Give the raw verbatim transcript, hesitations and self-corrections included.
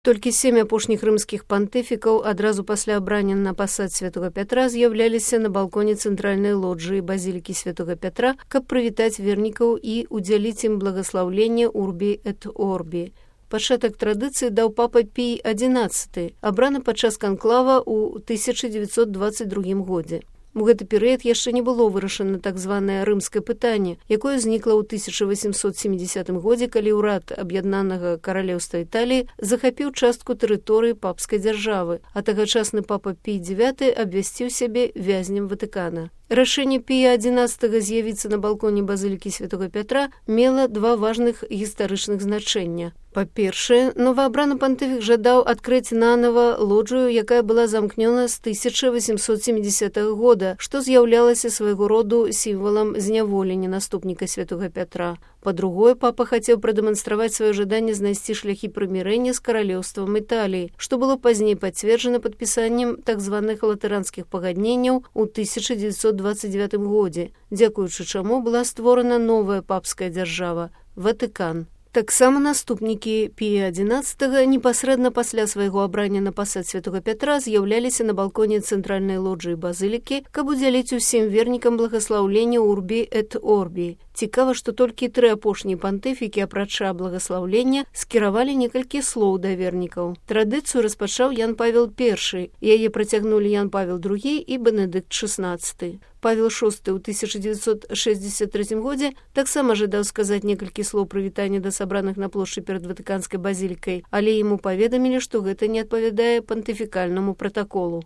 Толькі сем апошніх рымскіх пантыфікаў адразу пасля абрання на пасад святога Пятра з'яўляліся на балконе цэнтральнай лоджыі базілікі святога Пятра, каб прывітаць вернікаў і удзяліць ім благаслаўленне Урбі эт Орбі. Пачатак традыцыі даў папа Пій адзінаццаты, абраны падчас канклава ў тысяча дзевяцьсот дваццаць другім годзе. У гэты перыяд яшчэ не было вырашана так званае рымскае пытанне, якое ўзнікла ў тысяча васемсот сямідзесятым годзе, калі ўрад аб'яднанага каралеўства Італіі захапіў частку тэрыторыі папскай дзяржавы, а тагачасны папа Пій дзявяты абвясціў сябе вязнем Ватыкана. Рашэнне Пія адзінаццатага з'явіцца на балконе базылікі святога Пятра мела два важных гістарычных значэння. Па-першае, новаабраны пантыфік жадаў адкрыць нанова лоджыю, якая была замкнёна з тысяча васемсот сямідзесятага года, што з'яўлялася свайго роду сімвалам зняволення наступніка святога Пятра. Па-другое, папа хацеў прадэманстраваць сваё жаданне знайсці шляхі прымірэння з каралеўствам Італіі, што было пазней пацверджана падпісаннем так званых латаранскіх пагадненняў у тысяча дзевяцьсот дваццаць дзевятым годзе, дзякуючы чаму была створана новая папская дзяржава – Ватыкан. Таксама наступнікі Пія адзінаццатага непасрэдна пасля свайго абрання на пасад святога Пятра з'яўляліся на балконе цэнтральнай лоджыі базылікі, каб удзяліць усім вернікам благаслаўлення Урбі эт Орбі. Цікава, што толькі тры апошнія пантыфікі, апрача благаслаўлення, скіравалі некалькі слоў да вернікаў. Традыцыю распачаў Ян Павел першы, яе працягнулі Ян Павел другі і Бенедыкт шаснаццаты. Павел шосты ў тысяча дзевяцьсот шэсцьдзесят трэцім годзе таксама жадаў сказаць некалькі слоў прывітання да сабраных на плошчы перад Ватыканскай базілікай, але яму паведамілі, што гэта не адпавядае пантыфікальнаму пратаколу.